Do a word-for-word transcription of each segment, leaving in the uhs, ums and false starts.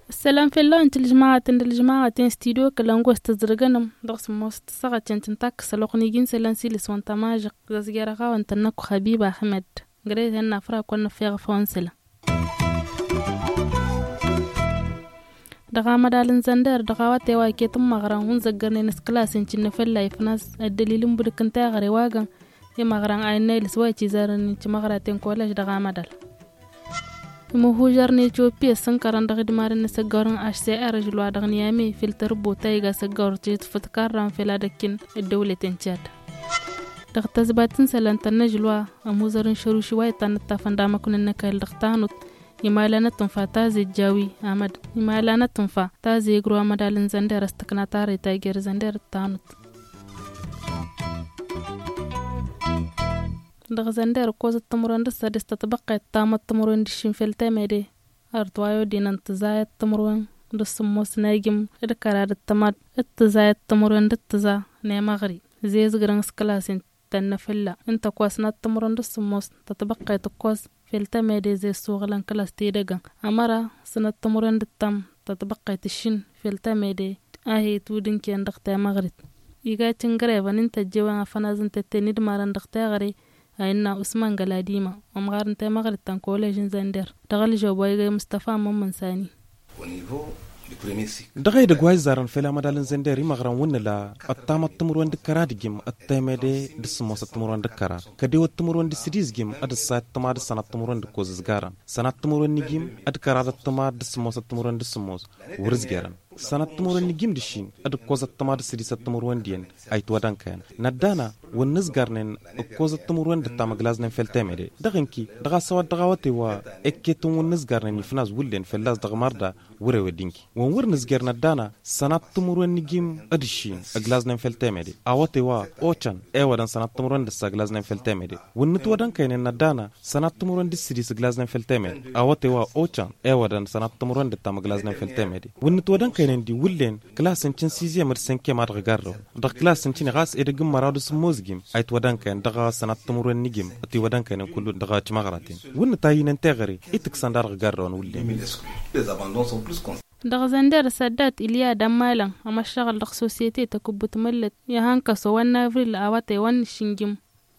Ăssălam fell-awăn tilǝžmaɣăt n-tilǝžmaɣăt n-studio kălăngo s-tăzrǝgănăm dăɣ-sǝmmos tǝssaɣăt căncǝn takkăs ălwăqq n-iji n-isălan s-ilǝs wa n-tamažăɣt. Dăɣ-s geraɣ-awăn tănnăkk xabib ahmed. Gre-ten n-afrak wa n-năfeɣăf a-wa n-isălan dăɣ-amădal n-zănder dăɣ-a-wa t-e-wa iket n-imăɣran wi n-zăggărnen s-kǝlas incǝnnă fălla ifnas ăddălil n-budǝk n-teɣăre wa găn imăɣran a innă ilǝs wa icizărăn incǝmăɣraten kolež dăɣ-amădal. Imǝhužăr n-etiyopiya ǝssǝnkărăn dăɣ-idmarăn n-asăggawăr n-ašser ažǝl wa dăɣ-niyame fil tărbo ta iga asăggawăr tijǝtfǝt karran fil ad-ăkkin ăddăwlăten cad. Dăɣ-tăzbat n-isălan tănnăžǝl wa ămuzăr n-išăruši wa itanăt tafăn d-amăknun n-ăkall dăɣ-tanut. Imala n-atǝnfa ta zejjawi amăd imala n-atǝnfa ta zegru amădal n-zănder ăstăkna tareta jer-zănder d-tanut. Dăɣ-zănder ǝkkoẓăt timǝrwen d-ǝssa d-s tătbăqqet tamăḍt timǝrwen d-ǝššin fel temede. Ărăt wa i-odinăn tǝẓayăt timǝrwen d-ǝssǝmmos n-egǝm d-kăra d-ăttămad d-tǝẓayăt timǝrwen d-ǝttǝẓa n-emăɣri zezgrăn s-kălasin tănnăfǝlla ǝnta ǝkkoẓăt timǝrwen d-ǝssǝmmos tătbăqqet ǝkkoẓ fel temede zes suɣǝlăn kălas tidăgăn. Ămăra sănăt timǝrwen d-ǝttăm tătbăqqet ǝššin fel temede a hi-tudǝnken dăɣ-temăɣrit. Iga cǝngrevăn ǝnta ăjjewen afănazăn tetten idmarăn dăɣ-teɣăre a innă usman găladima ămɣar n-temăɣrit ta n-kolež n-zănder dăɣ-ălžăwb wa iga i-mustăfa mămmăn sani. Dăɣ-edăgg wa izzarăn fel amădal n-zănder imăɣran wǝnnǝla ăttamăḍ timǝrwen d-kăra d-ǝjǝm ăttemede d-sǝmmosăt timǝrwen d-kăra kădewăt timǝrwen d-sǝdis ǝjǝm ad-ǝssa ăttămad d-sănăt timǝrwen d-ǝkkoẓ ǝzgarăn sănăt timǝrwen n-ǝjǝm d-kăra d-ăttămad d-sǝmmosăt timǝrwen d-sǝmmos wăr-ǝzgerăn. Sănăt timǝrwen n-ǝjǝm d-ǝššin d-ǝkkoẓăt tămad s-sădisăt timǝrwen d-iyyăn a itwădănkăyăn năddana wăr nǝzgărnen ǝkkoẓăt timǝrwen d-ǝttam ǝglaznen fel temede. Dăɣ-inki dăɣ-a-s ăwadăɣ a-wa t-e-wa ekketăn wăr nǝzgărnen ifnas wǝllen fălla-s dăɣ-mărda wăr-ewed inki wăn wăr nǝzger năddana sănăt timǝrwen n-ǝjǝm d-ǝššin ǝglaznen fel temede. A-wa t-e-wa ocăn ewădăn sănăt timǝrwen d-ǝssa ǝglaznen fel temede. Wăr nǝtwădănkăynen năddana sănăt timǝrwen d-sǝdis ǝglaznen fel temede. A-wa t-e-wa ocăn ewădăn sănăt timǝrwen d-ǝttam ǝglaznen fel temede. Wăr nǝtwădănkăynen d-iwǝllen kălasăn cǝnsizyem d-sănkiyem a dăɣ-garrăwăn dăɣ-kălasăn cǝne ɣas edăgg n-măraw d-asǝmmozǝgim a itwădănkăyăn dăɣ-sănăt timǝrwen n-ǝjǝm ătiwădănkăynen kullu dăɣ-timăɣraten. Wăr nǝtayǝnăn teɣăre itǝksăn da dăɣ-garrăwăn wǝllen. Dăɣ-zănder săddat ilya d-ămmalăn ămăššăɣǝl dăɣ-sosyete tăkǝbbut măllăt i-ahăn kăso wa n-avril a-wa t-e-wa n-nǝššǝnjǝm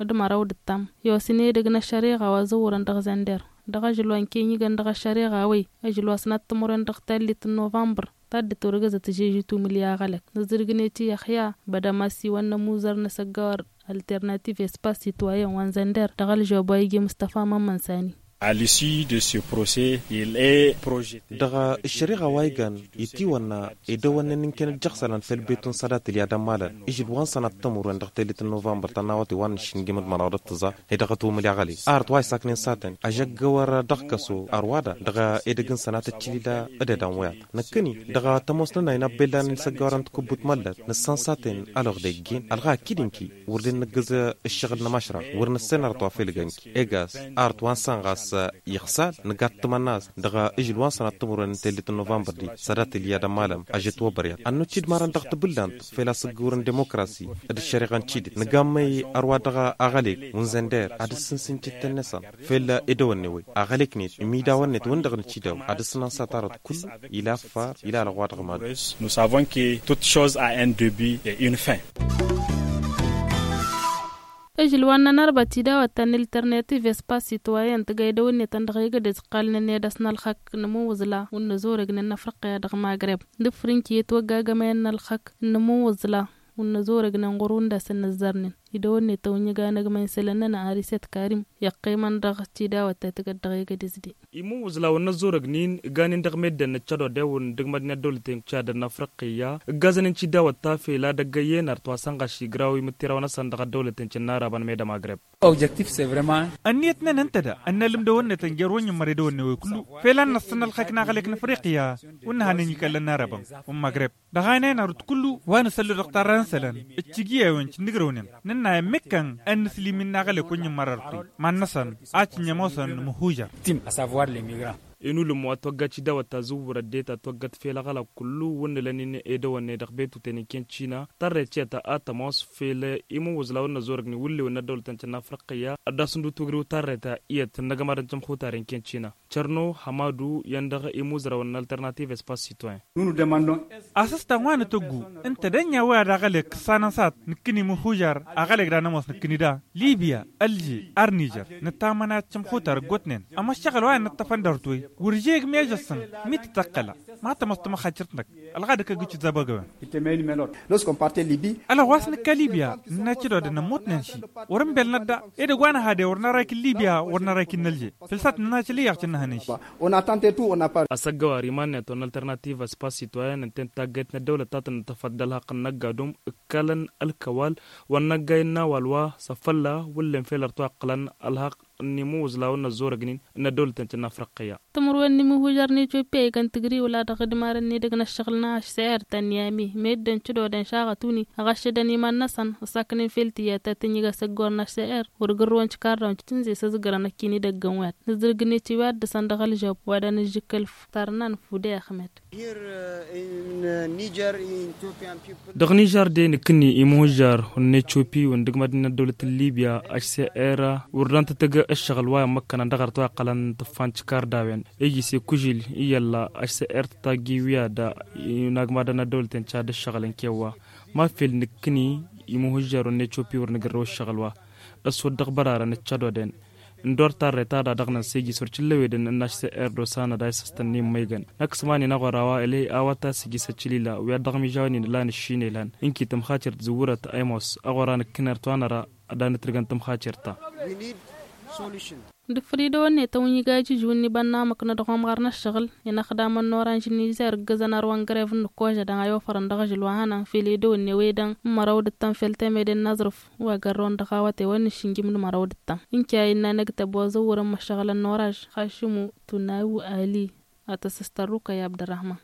d-măraw d-ǝttam i-osăn edăgg n-ăššăreɣa wa zăwwărăn dăɣ-zănder. Dăɣ-ažǝl wa n-kenyigăn dăɣ-ăššăreɣa a-wăy ažǝl wa s-năttămurăn dăɣ-tallit n-novămbăr ta dd-turgǝzăt žežǝt umǝlya aɣălăk. Nǝzzǝrgnet i-ăxya bădăm asiwăn n-ămuzăr n-asăggawăr alternativ espace citoyen wa n-zănder dăɣ-ălžăwab wa iji mustăfa mămmăn sani. A l'issue de ce procès il est projeté. Dăɣ-ăššăreɣa wa igan itiwănna edăwănnen n-inkăn ǝjjăɣ isălan fel betu n-sădat ǝlya d-ămmalăn ižǝl wa n-sănăt timǝrwen dăɣ-tellit n-novămbăr tănna a-wa t-e-wa n-nǝššǝnjǝm d-măraw d-ǝttǝẓa. Hedăɣ ătwămǝl i-aɣălek arăt wa isaknen s-a-ten ažăggăwăr dăɣ-kăso ărwa da dăɣ-edăgg n-sănatăt cǝlila d-edăn wăyăḍ. Năkkăni dăɣ-tămoos-nănay n-abbellan n-isăggăwărăn tǝkǝbbut măllăt nǝssan s-a-ten ălwăqq d-eggen ălɣa akid ǝnki wăr dd-nǝggǝz ǝššăɣǝl n-ămăšrăɣ wăr nǝssen arăt wa fel gănki. Egas arăt wa n-sănɣas iɣsal nǝgat tǝmănna-s dăɣ-ižǝl wa n-sănat timǝrwen n-tellit n-novămbăr di sădat ilya d-ămmalăm ažăt wăbăryăt ănnucci d-marăn dăɣ-tibǝllant fel asǝggǝwăr n-dimokrasi d-ăššăreɣa n-tidǝt nǝgammăy ărwa dăɣ-aɣălek wi n-zănder ad-ǝssǝnsǝn cǝttăn-năsăn fel edăwănne-wăy aɣălek-net imidawăn-net wǝn-dăɣ nǝcidaw ad-ǝssǝnăn s-ad-tarăt kullu ila ăffar ila alăɣwa dăɣ-mad. Nous savons que toute chose a un debut et une fin. Ǝžǝl wa n-nănărbăt idawăt ta n-alternativ espace citoyen tǝgga idăwănne-tăn dăɣ-egădez ǝqqalnen i-ad-ăsnălxăk n-imǝwwǝẓla wǝnnă zorăgnen n-afriqya dăɣ-magreb d-ǝfrǝnki i-ătwăggagămăyăn n-ălxăk n-imǝwwǝẓla wǝnnă zorăgnen ɣur-wǝndasăn n-ăzzărnen. Idăwănne-tăn wi n-iganăgmăyăn isălan-nănăɣ arisăt karim iqqimăn dăɣ-tidawăt ta tǝgăt dăɣ-egădez-den. Imǝwwǝẓla wǝnnă ăzzorăgnin ǝgganen dăɣ-meddǝn n-ăccăḍ odewăn d-ǝgmădnen ăddăwlăten n-cad n-afriqya ǝggazăn n-tidawăt ta fel ad-ăggăyyăn arăt wa sănɣaš igraw imǝttirawăn-năsăn dăɣ-ăddăwlăten cǝnnarabăn med ămagreb. Ănniyăt-nănăɣ ǝnta da ănnălǝm dăwănnătăn jer-wănyǝmmăr edăwănne-wăy kullu fel ad-năssăn ălxăkk n-aɣălek n-afriqya wǝnnă hanen ikallăn n-arabăn wănmăgreb. Dăɣ-a inayăn arut kullu wa nǝsăllu dăɣ-tarra n-isălan ǝccǝg i-ewăn cǝnnǝgrăwnen nǝnna i-ămmikkăn ad-nǝslim-in n-aɣălek wănyǝmmăr arăt-wi iman-năsăn a cǝnn'-e ămoosăn n-imǝhhujăr. Tim a savoir lemigrant. Inulǝm wa toggăt idawăt ta zǝwwărăt deta toggăt fel aɣălak kullu wǝnnǝlăn-in edăwănne dăɣ-betuten n-ken cina tarret tiyyăt a tămoos fel imǝwwǝẓ la wǝnnă zorăgni wǝllew n-ăddăwlătăn ti n-afriqiyya. Ăddasǝndu tugriw tarret iyyăt n-agămad n-tămxutaren ken cina. Cărno hămadu i-ăndăɣ imuzrăwăn n-alternativ espace citoyen. Asǝstan wa n-atăggu ǝnta d-ănn i-a-wa ad-aɣălek ǝssanăn s-ad-nǝkkǝni mǝhujar aɣălek d-anămoos nǝkkǝni da libya ălže ar nižer. Nǝtamănay ad-tămxutar ǝggotnen ămăššăɣǝl wa innă ǝṭṭăfăn dăr-t-wi wăr žegăm i-ažăssăn mi tǝtăqqăla ma tămoos tămăxacirt-năk. Ălɣadăk ăgg-icǝzzabăgăwen. Ălɣas nǝkka libya nǝnna cădodăn ămmutnen ši wăr-ǝnbel n-ădda edăgg wa n-ehăde wăr năra ikin libya wăr năra ikin n-ălže. Făl s-ad-nǝnna călǝyyăɣ cǝnnăhăn n-ši. Wăr nătante tu wăr năpar. Asăggăwar iman-net wăr n-alternativ espace citoyen ǝnta i-taggayt n-ăddăwlăt ta tăn-dd-tăfăḍ d-ălhăqq n-inăgg adum ǝkkalăn ălkăwal wăr năggay n-awal wa s-afălla wǝllen fel ărtwa ǝqqǝlăn ălhăqq n-imǝwwǝẓ la wăr năzzorăgnin n-ăddăwlăt-en tăn-afriqiyya. Timǝrwen n-imǝhujăr n-etiopya ikăn tǝgriwǝl a dăɣ-idmarăn n-edăgg n-ăššăɣǝl n-ašser tăn-yami meddǝn cǝdodăn šaɣăt-uni ăɣašădăn iman-năsăn ăsaknen fel tiyyăt ta tǝnjǝg asăggor n-ašser wăr gǝrrǝwăn tikarrawen tǝnze s-ăzgărăn ăkkin idăggăn wăyat nǝzrǝgnet i-wa dd-săn dăɣ-ălžăb wa dăɣ-nǝžžǝkăl. Tarnan fudey axmed. Dăɣ-nižar de nǝkkǝnni imǝhujjar wăr n-etiopi wăr n-dăgg-mad-nin ăddăwlăt n-libya ašser wăr dantătăgg ăššăɣǝl wa immăkkănăn dăɣ-arăt wa iqqălăn tǝffan tikardawen iji s-ikužǝl i-illa ašser tătaggi wi ad-inagmadăn ăddăwlăt n-cad ăššăɣǝl n-kewwa. Ma fel nǝkkǝni imǝhujjar wăr n-etiopi wăr nǝgǝrrăw ăššăɣǝl wa ăswăt dăɣ-bărarăn ǝccădoden. Ǝndor tarret ad-ad-ăɣnăn s-ejis wăr cǝllăwedăn n-ašser d-osanăd a isăstănni n-imăygăn năkk s-iman-in aɣora wa ǝley a-wa ta s-ejis ăccǝlila wi ad-dăɣ-imižawen-in ǝlan ǝššin elhan ǝnki tămxacirt zǝwwărăt a imos aɣora nǝkkǝnert wa năra ad-anǝtrǝgăn tămxacirt-ta. Dăɣ-făr idăwănne tăwǝnjǝgajǝžǝw n-ibănnamăk n-ad-ɣumɣăr n-ăššăɣǝl inăxdamăn n-oranž n-izer ǝggǝzăn arwăn grevǝn n-ǝkkožădăn a i-ofărăn dăɣ-ažǝl wa hănan fel edăwănne wi-dăɣ n-măraw d-ǝttăn fel temede n-aẓrǝf wa gărrăwăn dăɣ-awăte wa n-išǝnjǝm d-măraw d-ǝttăn. Ǝnke a innă năgtăb wa zăwwărăn măššăɣǝlăn n-oranž xašǝmu tunawu ali. Ad-tăsǝstărruk ăy abdărrahman.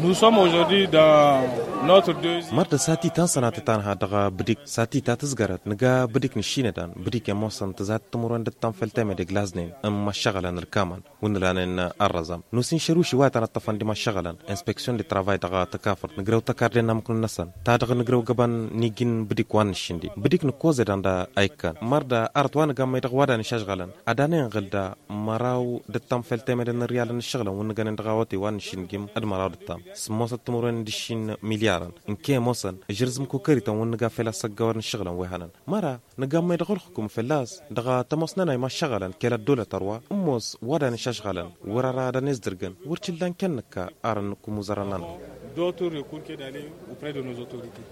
Nous sommes aujourd'hui dans notre deuxième. Mărdăs a tităn sănatăt anha dăɣ-bǝdik s-a tităn tǝzgărăt nǝga bǝdik n-išinădan bǝdik i-ămoosăn tǝzat timǝrwen d-ǝttăn fel temede glaznen n-măššăɣǝlăn ǝlkamăn wǝnnǝlanen ărrăẓăm. Nusin šăruši wa tăn-ăṭṭăfăn d-imăššăɣǝlăn inspeksiyon de travay dăɣ-tăkafărt nǝgrăw tăkarden n-amǝknun-năsăn ta dăɣ-nǝgrăw găbăn n-iji n-bǝdik wa n-išindi bǝdik nǝkkoẓe dan da a ikkăn mărda arăt wa nǝgammăy dăɣ-wa dan išažɣălăn ad-anăyăn ɣǝl da măraw d-ǝttăm fel temădăn n-riyalăn n-ašăɣlăn wǝnnǝgănen dăɣ-awătey wa n-išindǝgim d-măraw d-ǝttăm s-ămoosăt timǝrwen d-išin milyarăn n-kăy-ămoosăn ǝžrǝzǝm kukărităn wǝnnǝga fel asăggăwăr n-ašăɣlăn wi hănăn. Măra nǝgammăy dăɣ-ălxukum fălla-s dăɣ-tămoos-nănăy măššăɣălăn kăl-ăddolăt ărwa ǝmmos wa dan išažɣălăn wăr ara ad-ănezḍărgăn wăr t-illa n-kănnăkka ar n-kămuzărăn-nănăy. D'autres recours que d'aller auprès de nos autorités.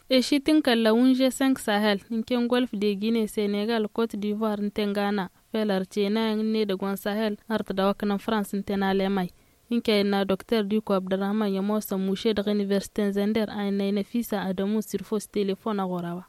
Ešit n-kălla-wǝn g cinq sahel n-ken golf de guinee senegal cote d'ivoire n-ten gana fel ărtenayăn n-edăgg wa n-sahel ărtădawăknăn frans n-ten alemay. N-kăy-innă dokter diko abdărrahman i-ămoosăn muše dăɣ-universite n-zender a innă i-năfisa adămu s-irfos telefon aɣora-wa.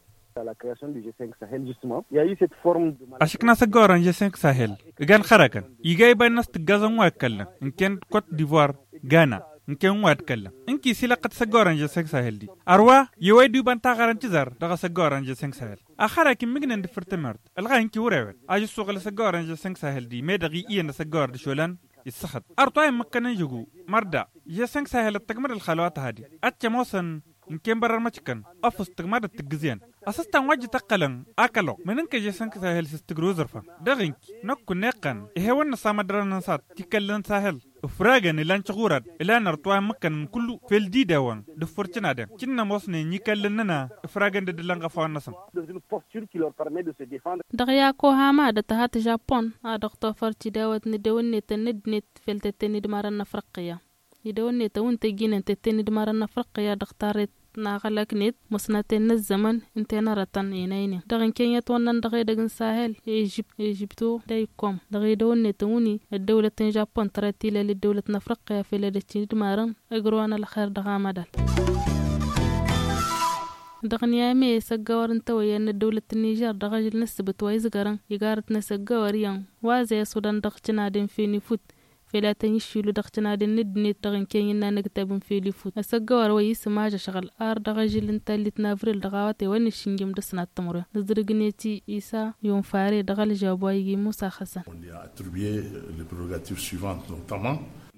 Ašǝkna s-ăgg orăn g cinq sahel igan xărăkăn iga iba innă s-tǝggazăn wa ǝkkăllăn n-ken cote d'ivoire gana n-ken wa ǝkkăllăn n-kis ilăqqăt s-ăgg orăn g cinq sahel di. Ărwa i-wa idubăn taɣărăn tǝzar dăɣ-s ăgg orăn g cinq sahel. Axăra ikim mǝgnen d-făr tămert ălɣa inki wăr-ewăd. Ažǝssuɣ l-s ăgg orăn g cinq sahel di meddăɣ i-iyyăn d-s ăgg orăn d-išolăn issăxăt. Ărtwa immăkkănăn žăgu mărda g cinq sahel ăttăgmăd ălxalăwat a hadi ăccămoosăn n-ken bărrăn măčkăn ăffǝs tǝgmădăt tǝggǝzyen. Asăstan wa ǝjjǝt ăqqălăn akăloɣ mănǝnkăj i-sănk sahel s-tǝgrǝw zărfăn dăɣ-inki năkk kunna iqqăn. Ihewăn n-ăsamădărăn n-sat tikăllăn sahel ǝfragăn ilan căɣurad ilan ărtwa immǝkkănăn kullu fel d-idawăn d-ǝffǝr cǝnadăn cǝnnămosnen i-ikallăn-nănăɣ. Ǝfragăn d-dd-ǝllăn ɣăfawăn-năsăn. Dăɣ-yakohama d-ătăhat žapon a dăɣ-tofăr tidawăt n-edăwănnetăn n-ăddinăt fel tătte n-idmarăn n-afriqqiya. Idăwănnetăn wi n-tăjjinăn tătte n-idmarăn n-afriqqiya dăɣ-tarret n-aɣălăknet măsnăten n-ăzzămăn n-tenărătăn enăynen dăɣ-inkăy n-itwănnăn dăɣ-edăgg n-sahel. Ežipto dăr-ikom dăɣ-idăwănnetăn wi n-ăddăwlăt n-žapon tărăt tilăl ăddăwlăt n-afriqqiya fel edăcc n-idmarăn. Ǝgrǝwăn ălxer dăɣ-amădal. Dăɣ-niyame s-ăggawăr n-tawăyya n-ăddăwlăt n-nižer dăɣ-ažǝl n-ǝssǝbǝt wa izgărăn igarăt-net ăggawăr iyyăn wa zăy ăsudăn dăɣ-cǝnadăn fenifut. Fel a tăn-iššilu dăɣ-tinaden n-ăddinăt dăɣ-ǝnken innă n-ăgtab n-fel ifut ăsăggăwar wa isǝmaj ašăɣǝl ar dăɣ-ažǝl n-tallit n-avril dăɣ-a-wa tewăn n-išǝnjǝm d-ăsnat timǝrwen nǝzrǝgneti isa yunfare dăɣ-ălžab wa igi musa xăsăn.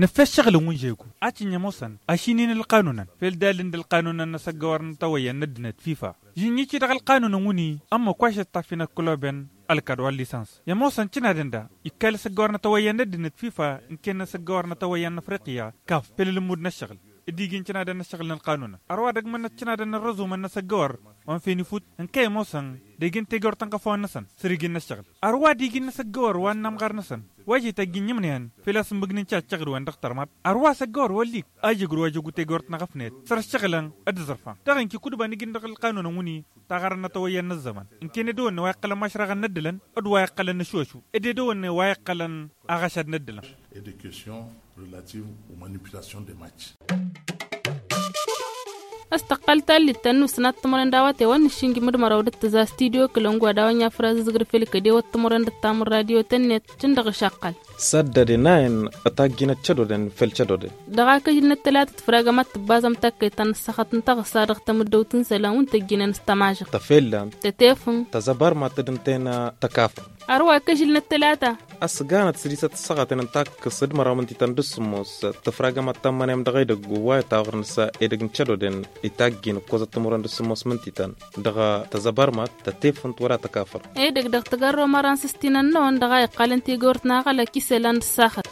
Nǝffe ăššăɣǝl n-wǝnžegu a cǝnj ămoosăn ašinǝyăn ălqanunăn făll-dalǝn d-ălqanunăn n-asăggăwar n-tawăyya n-ăddinăt fifa žǝnjǝci dăɣ-ălqanunăn wǝnni ămma kăwašăt tafinăt kǝloben ălkad wa n-lisans i-ămoosăn cǝnadăn da ikka-i l-asăggăwar n-atawăyya n-ăddinăt fifa ǝnken n-asăggăwar n-atawăyya n-afriqya kaf făll-ălǝmmud n-ăššăɣǝl d-iji n-cǝnadăn n-ăššăɣǝl n-ălqanunăn ărwa dăgg-mănnăt cǝnadăn n-răzumăn n-asăggăwar wa n-fenifut ǝnka i-ămoosăn degen tegort n-kăfăwăn-năsăn săr-iji n-ăššăɣǝl ărwa d-iji n-asăggăwar wa n-amɣar-năsăn wa j-ităjjǝn imnăyăn făl-a-s ǝmmǝgnen ti ad-tăɣrǝwăn dăɣ-tărmaḍ ărwa asăggăwăr wăl'-ik a jăgr wa jăgu tegort n-aɣăfnet săr-ăššăɣǝlăn d-aẓrǝfan dăɣ-inki kud-iba n-ijǝn dăɣ-ălqanunăn wǝnni taɣarăn n-atawăyya n-ăzzăman ǝnken edăwănne wa iqqălăn mašraɣăn n-ăddǝlăn d-wa iqqălăn n-ăššošu d-edăwănne wa iqqălăn aɣăšad n-ăddǝlăn. Relative aux manipulations des matchs. Ăstăqqăl tallit tănnus n-ad-timărăn d-a-wa tewăn n-ašǝnjǝm d-măraw d-tǝza studyo kălăngu ad-a-wa n-yafrăz ǝzgǝr fel kădewăt timărăn d-tamǝr radio tănnet cǝndăɣ išaqqal. Săddăde n-a-in ătajjinăt cădoden fel cădoden. Dăɣ-akăžǝl n-ăttălatăt făr-agămat tǝbbazăm takkăyt ta n-ăssăɣăt n-taɣǝssa dăɣ-tamǝddăwt n-isălan wi n-tăjjinăn s-tamažăɣt tăfellăm tătefǝm tăzăbărmat d-ǝntăyăn tăkafăr. Ărwa akăžǝl n-ăttălata. Ăsganăt sădisăt ăssaɣăten n-takkăs d-măraw mǝntităn d-sǝmmos tǝfragăm ad-tămmănem dăɣ-edăgg wa itaɣrǝn s-edăgg n-cădoden itajjin ǝkkozăt timǝrwen d-sǝmmos mǝntităn dăɣ-tăzăbărmat tătefǝnt wăla tăkafăr. Edăgg dăɣ-tăgărro măran s-ăstinăn-năwăn dăɣ-a iqqalăn tigort n-aɣălăk isălan d-ăssaxăt.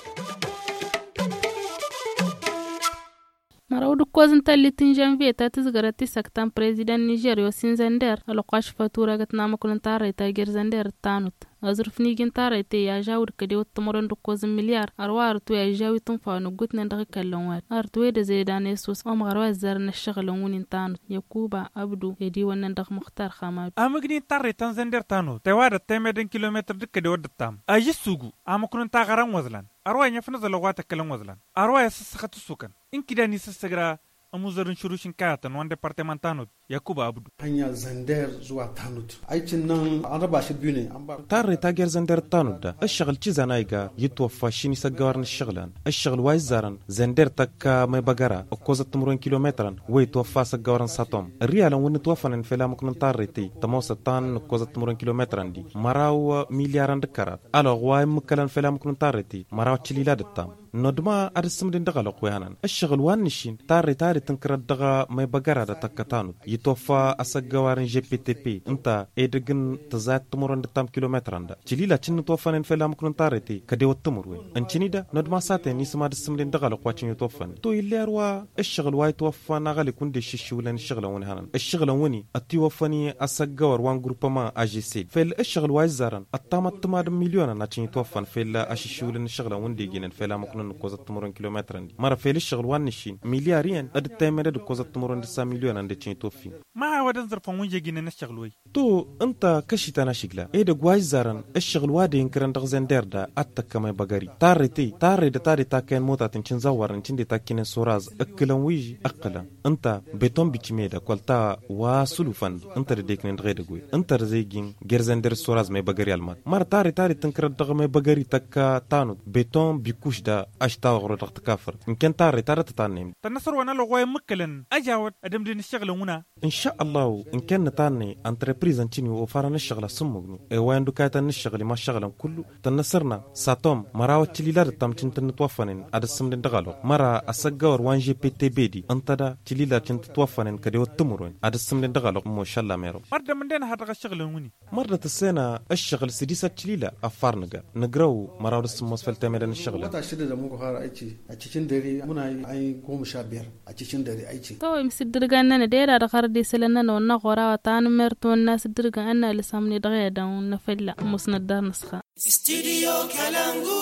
Măraw d-ǝkkoẓ n-tallit n-žănvye ta tǝzgărăt tisăkta n-prezidăn n-nižer yosin zănder ălɣaš făturagăt n-amăknun tarrăyt ta jer-zănder d-tanut. Ăẓrǝf n-iji n-tarrăyt i-ažawǝd kădewăt timǝrwen d-ǝkkoẓ n-milyar ărwa arăt wi ažžaw itǝnfa wa n-ǝggutnen dăɣ-ikallăn wa-dăɣ arăt wi d-ăzedan i-ăssos ămɣar wa ăzzarăn ăššăɣǝlăn wǝnnin tanut yakuba ăbdu i-ad-iwănnăn dăɣ-muxtar xamadu. Amǝgni n-tarrăyt ta n-zănder tanut tewadăt temedăn kilometăr d-kădewăt d-ăttam ažǝssugu amǝknun taɣăra n-wăẓlan ărwa inyăf n-aẓălăɣ wa tăkkălăn wăẓlan ărwa i-asǝssăxăt ǝssukăn ǝnkǝdan isǝssăgra ămuẓăr n-išruš n-kayatăn wa n-departăman tanut. Yakuba abdu. Hănya zănder zuwa tanut. Aici n-anrăbaš ăbune. Tarre ta jer-zănder d-tanut da ǝššăɣǝl cizan a iga itwăffa ašin isăggawărăn ǝššăɣǝlăn ǝššăɣǝl wa izzarăn zănder tăkka măybăgăra ǝkkozăt timǝrwen kilometrăn wa itwăffa asăggawărăn satom ărriyalăn wi n-ǝtwăfănen fel amǝknun tarre tey tămoosăt ta n-ǝkkozăt timǝrwen kilometrăn di măraw milyarăn d-kărat ălɣ wa immǝkkălăn fel amǝknun tarre tey măraw ăccǝlila d-ǝttam. Nodma ad-ǝssǝmdǝn dăɣ-ălwăqq wi hănan ǝššăɣǝl wa n-nǝššin tarre ta d-tǝnkărăt dăɣ-măybăgăra d-atăkkăt anut itwăffa asăggăwar n-žepetep ǝnta edăgg n-tǝẓayăt timǝrwen d-ǝttam kilometrăn da cǝlila cǝnnǝtwăffănen fel amǝknun tarre tey kădewăt timǝrwen. Ǝncǝni da nodma s-a-ten isǝm ad-ǝssǝmdǝn dăɣ-ălwăqq wa cǝnnǝtwăffănen to ill'-e ărwa ǝššăɣǝl wa itwăffa n-aɣălik wǝnde iššǝššǝwǝlăn ǝššăɣǝlăn wi n-hănan ǝššăɣǝlăn wǝnni ătiwăffăn i-asăggăwăr wa n-gruppăma ažesed fel ǝššăɣǝl wa izzarăn ăttamăt tǝmad n-milyonăn ad-tăn-itwăffăn fel ašǝššiwǝlăn ǝššăɣǝlăn wǝnde ijănen fel amăknăn n-ǝkkozăt timǝrwen kilometrăn-di mărăfel ǝššăɣǝl wa n-nǝššin milyar iyyăn d-ǝttăymădăd ǝkkozăt timǝrwen d-ǝssa milyonăn d-ad-tăn-itwăffin. Ma hawădăn zărfăn wǝnžăjinăn ǝššăɣǝl wăy. To ǝnta kăšităn ašǝgla edăgg wa izzarăn ǝššăɣǝl wa de-inkărăn dăɣ-zender da ad-tăkkăm ebăgări tarre tey tarre dăt-ad-etakkăyăn motatăn cǝnzăwwărăn cǝnde takkinen soraz ǝkkǝlăn wi ǝqqǝlăn ǝnta beton bicime da kăl-ta wa sǝlufăn-di ǝnta dăd-eknen dăɣ-edăgg wen ǝnta dăz-ejin gerzănder s-oraz mebăgări alman mărăt arret arret tǝnkărăt dăɣ-mebăgări tăkka tanut beton bikuš da ašta oɣro dăɣ-tăkafărt ǝnken tarret ad-tătannăyăm. Tănnăsăr wa n-alăɣ wa immǝkkălăn ăjawăt ad-ămdǝn ǝššăɣǝlăn wǝna. Ǝnša ăllahu ǝnken nǝtannăy ăntrăpriz ăncǝni ofarăn ǝššăɣǝl asǝmmugnu i-wa indu kayătăn n-ǝššăɣǝl imaššăɣǝlăn kullu tănnăsărna satom măraw ăccǝlila d-ăttam cǝntǝnnǝtwăffănen ad-ǝssǝmdǝn dăɣ-alăɣ măra ăsăggăwăr wa n-žepetebedi ǝnta da cǝlila cǝntǝtwăffănen kădewăt timǝrwen ad-ǝssǝmdǝn dăɣ-alăɣ. Măšalla mero. Mărdăm ǝndena har dăɣ-ăššăɣǝlăn wǝnni. Mărdăt ǝssenă ǝššăɣǝl sǝdis ăccǝlila ăffar nǝga nǝgrăw măraw d-ǝssǝmmos făll-temedăn ǝššăɣǝlăn. Wăt ašăl d-ămuk har ăyci ăccǝcǝn dări mǝnay ay gomăš abber. Ăccǝcǝn dări ăyci. Tăwăy mǝsǝddǝrgan-nănăɣ dera dăɣ-hărăt d-isălăn-nănăɣ ănnăɣ ɣur-a-wa ta n-mert wănna sǝddǝrgan ănn alǝsam-net dăɣ-i ad-dăɣ-năfălla ămoosnăt dar-năsxa. Studio kalangu.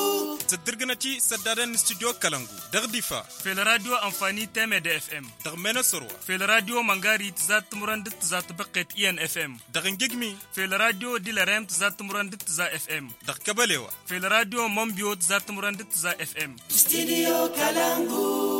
Tǝddǝrgǝnăt-i s-ăddadăn n-studio kalangu dăɣ-difa. Fel radio anfani temede fm. Dăɣ-menosărwa. Fel radio măngari tǝzat timǝrwen d-tǝzat tibăqqet i n fm. Dăɣ-ingǝgmi. Fel radio dilerem tǝzat timǝrwen d-tǝzat fm. Dăɣ-kăbălewa. Fel radio mănbyo tǝzat timǝrwen d-tǝzat fm. Studio kalangu.